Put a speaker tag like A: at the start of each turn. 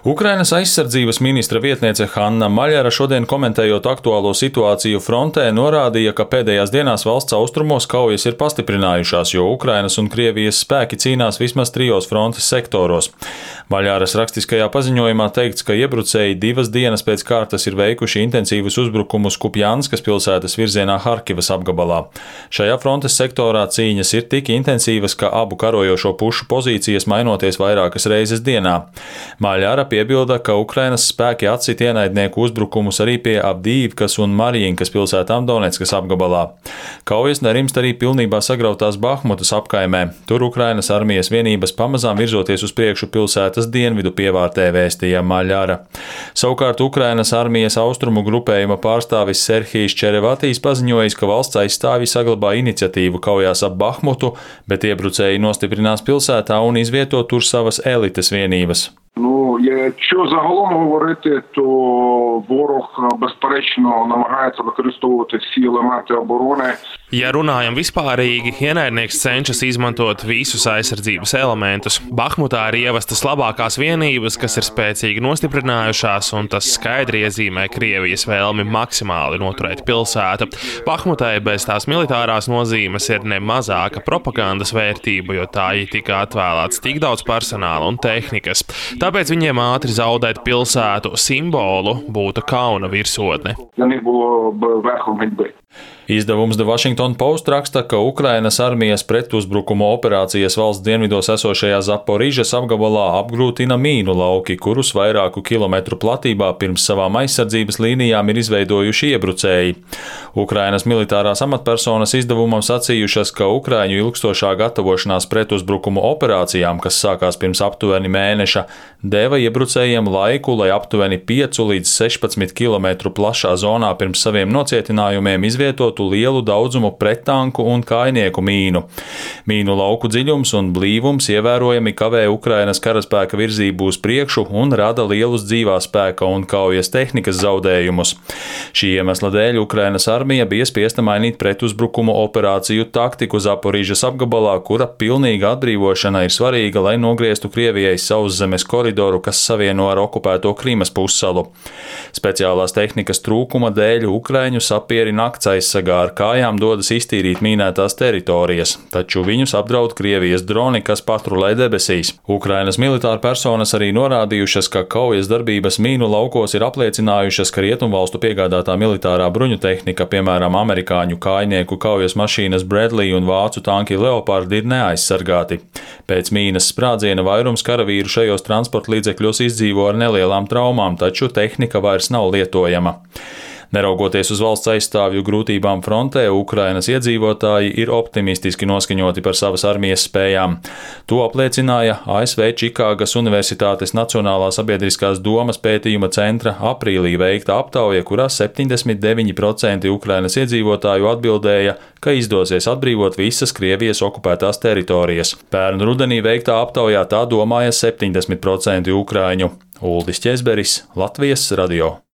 A: Ukrainas aizsardzības ministra vietniece Hanna Maļara šodien komentējot aktuālo situāciju frontē norādīja, ka pēdējās dienās valsts austrumos kaujas ir pastiprinājušās, jo Ukrainas un Krievijas spēki cīnās vismaz 3 frontes sektoros. Maļaras rakstiskajā paziņojumā teikts, ka iebrucēji 2 dienas pēc kārtas ir veikuši intensīvus uzbrukumus Kupjanskas pilsētas virzienā Harkivas apgabalā. Šajā frontes sektorā cīņas ir tik intensīvas, ka abu karojošo pušu pozīcijas mainoties vairākas reizes dienā. Maļara piebilda, ka Ukrainas spēki atsit ienaidnieku uzbrukumus arī pie Avdīivkas un Marijinkas pilsētām Doneckas apgabalā. Kaujas nerimst arī pilnībā sagrautās Bahmutas apkaimē. Tur Ukrainas armijas vienības pamazām virzoties uz priekšu pilsētas dienvidu pievārtē, vēstīja Maļara. Savukārt Ukrainas armijas austrumu grupējuma pārstāvis Serhijs Čerevatijs paziņojis, ka valsts aizstāvji saglabā iniciatīvu kaujās ap Bahmutu, bet iebrucēji nostiprinās pilsētā un izvieto tur savas elites vienības.
B: Якщо загалом говорити, то ворог, безперечно, намагається використовувати всі елементи оборони.
C: Ja runājam vispārīgi, ienaidnieks cenšas izmantot visus aizsardzības elementus. Bahmutā ir ievestas labākās vienības, kas ir spēcīgi nostiprinājušās, un tas skaidri iezīmē Krievijas vēlmi maksimāli noturēt pilsētu. Bahmutai bez tās militārās nozīmes ir ne mazāka propagandas vērtība, jo tā ir tika atvēlēts tik daudz personāla un tehnikas. Tāpēc viņiem ātri zaudēt pilsētu simbolu būtu kauna virsotne.
A: Izdevums The Washington Post raksta, ka Ukrainas armijas pretuzbrukuma operācijas valsts dienvidos esošajā Zaporižas apgabalā apgrūtina mīnu lauki, kurus vairāku kilometru platībā pirms savām aizsardzības līnijām ir izveidojuši iebrucēji. Ukrainas militārās amatpersonas izdevumam sacījušas, ka Ukraiņu ilgstošā gatavošanās pretuzbrukuma operācijām, kas sākās pirms aptuveni mēneša, deva iebrucējiem laiku, lai aptuveni 5 līdz 16 km plašā zonā pirms saviem nocietinājumiem izvietotu lielu daudzumu prettanku un kājnieku mīnu. Mīnu lauku dziļums un blīvums ievērojami kavē Ukrainas karaspēka virzību uz priekšu un rada lielus dzīvā spēka un kaujas tehnikas zaudējumus. Šī iemesla dēļ Ukrainas armija bija spiesta mainīt pretuzbrukumu operāciju taktiku Zaporižas apgabalā, kura pilnīga atbrīvošana ir svarīga, lai nogrieztu Krievijai sauszemes koridoru, kas savieno ar okupēto Krimas pussalu. Speciālās tehnikas trūkuma dēļ Ukraiņu sapieri nakts aizsargā ar kājām dodas iztīrīt mīnētās teritorijas, taču viņus apdraud Krievijas droni, kas patrulē debesīs. Ukrainas militāra personas arī norādījušas, ka kaujas darbības mīnu laukos ir apliecinājušas, ka rietumvalstu piegādātā militārā bruņu tehnika, piemēram, amerikāņu kājnieku kaujas mašīnas Bradley un vācu tanki Leopard, ir neaizsargāti. Pēc mīnas sprādziena vairums karavīru šajos transporta līdzekļos izdzīvo ar nelielām traumām, taču tehnika vairs nav lietojama. Neraugoties uz valsts aizstāvju grūtībām frontē, Ukrainas iedzīvotāji ir optimistiski noskaņoti par savas armijas spējām. To apliecināja ASV Čikāgas Universitātes Nacionālā sabiedriskās domas pētījuma centra aprīlī veikta aptauja, kurā 79% Ukrainas iedzīvotāju atbildēja, ka izdosies atbrīvot visas Krievijas okupētās teritorijas. Pērn rudenī veiktā aptaujā tā domāja 70% ukraiņu. Uldis Ķezberis, Latvijas radio.